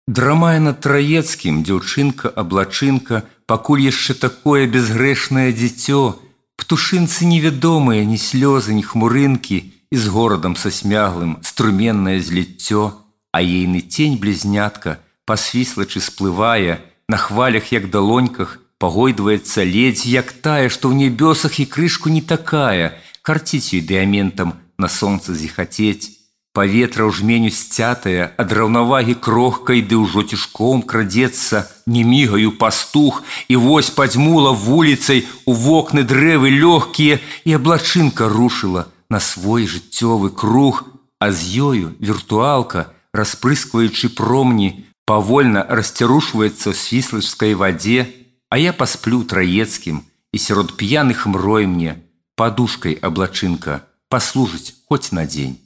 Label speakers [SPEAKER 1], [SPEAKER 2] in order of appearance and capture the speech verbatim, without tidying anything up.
[SPEAKER 1] Драмае над Траецкім дзяўчынка-аблачынка, пакуль яшчэ такое безгрэшнае дзіцё. Птушынцы невядомыя, ні слёзы, ні хмурынкі, і з горадам са смяглым струменнае зліццё. А ейны цень-блізнятка, пасвіслачы сплывае, на хвалях, як далоньках, пагойдваецца ледзь, як тая, што ў нябёсах і крышку не такая, карціць ёй дыаментам на сонца зіхацець. Паветра ў жменю сцятае, ад раўнавагі крохкай, ды ўжо цішком крадзецца, не мігаю пастух, і вось падзьмула вуліцай у вокны дрэвы лёгкія, і аблачынка рушыла на свой жыццёвы круг, а з ёю віртуалка, распрыскваючы промні, павольна расцярушваецца ў свіслачскай вадзе, а я пасплю Траецкім, і сярод п'яных мрой мне падушкай аблачынка паслужыць хоць на дзень.